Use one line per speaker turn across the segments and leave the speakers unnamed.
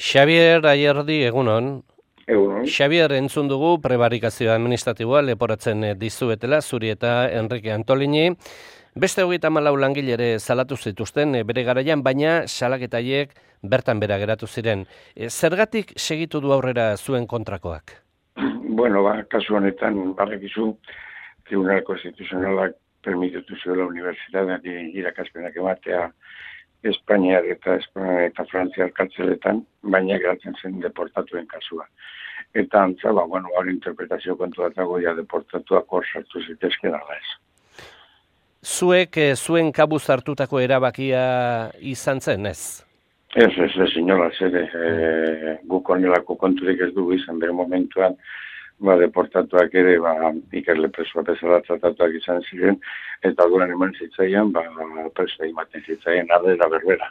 Xabier Ayerdi, egunon.
Egunon.
Xabier, entzun dugu prebarikazio administratiboa leporatzen dizuetela, zuri eta Enrique Antolini. Beste 34 langilere salatu zituzten bere garaian, baina salaketaiek bertan bera geratu ziren. Zergatik segitu du aurrera zuen kontrakoak?
Bueno, kasu honetan, badakizu, Tribunal Konstituzionalak permititu zuela unibertsitateari irakaspenak ematea Espainiar eta Frantziar kartzeletan, baina geratzen zen deportatuen kasua. Eta antza, hori interpretazio kontu bat dago, deportatuak hor sartu zitezken ala ez.
Zuek zuen kabuz hartutako erabakia izan zen, ez?
Ez, inolaz, guk honelako konturik ez dugu izan bere momentuan, deportatuak ere, ikerle presoa bezala tratatuak izan ziren, eta duran eman zitzaian, presoa ematen zitzaien ardera berbera.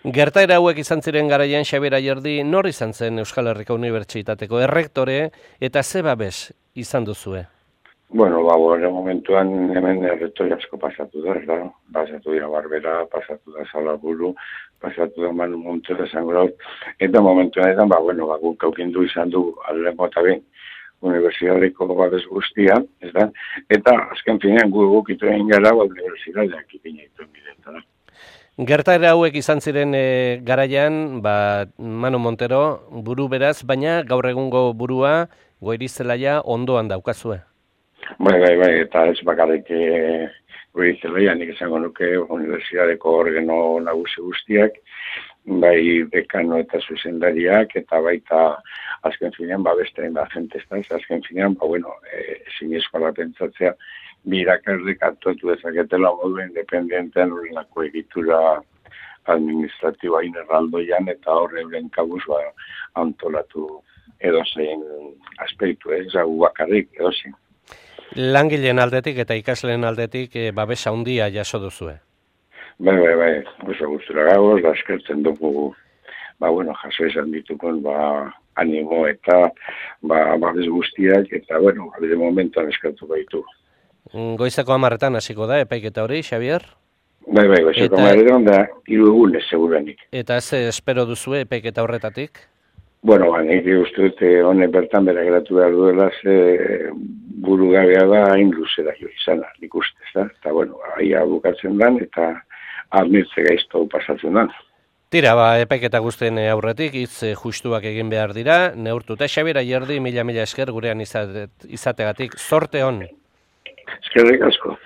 Gertaera hauek izan ziren garaian, Xabier Ayerdi, nor izan zen Euskal Herriko Unibertsitateko errektore, eta ze babes izan duzue?
Bueno, bere momentuan hemen errektore asko pasatu da, pasatu dira Barbera, pasatu da Salaburu, pasatu da Manu Montero esango da, eta momentuan edan, guk aukindu izan du aldengo eta behin unibertsitateko babes guztia, eta azken finean gukitu egin gara, unibertsitateak ipinaitu bidetan.
Gertaera hauek izan ziren garaian, Manu Montero buru beraz, baina gaur egungo burua Goirizelaia ondoan daukazue.
Bai, eta ez bakarrik Goirizelaia, nik esango nuke unibertsitateko organo nagusi guztiak, bai dekano eta zuzendariak, eta baita azken finean, beste da jentestan, azken finean, ezin eskola pentsatzea, birakardek aktuatu dezaketela modu independentean horrelako egitura administratiboa inerraldoian, eta horre euren kabuz antolatu edozein aspektu, ez hau bakarrik edozein.
Langileen aldetik eta ikasleen aldetik babesa handia jaso duzue.
Bai, oso gustura gagoz, eskertzen dugu, jaso izan ditukon, animo eta babes guztiak, eta, bide momentuan eskertu baitu.
Goizeko 10:00 hasiko da, epaiketa hori, Xabier?
Bai, goizeko 10:00 da, 3 egunez, segurenik.
Eta ze espero duzue epaiketa horretatik?
Nik uste dut, honek bertan bera geratu behar duela, burugabea da hain luzera jo izana, nik uste, eta, aia bukatzen dan, eta admirtze gaizto pasatzen dan.
Tira, epaiketa guztien aurretik, hitz justuak egin behar dira, neurtuta. Xabier Ayerdi, mila esker gurean izategatik, zorte hon.
Eskerrik asko.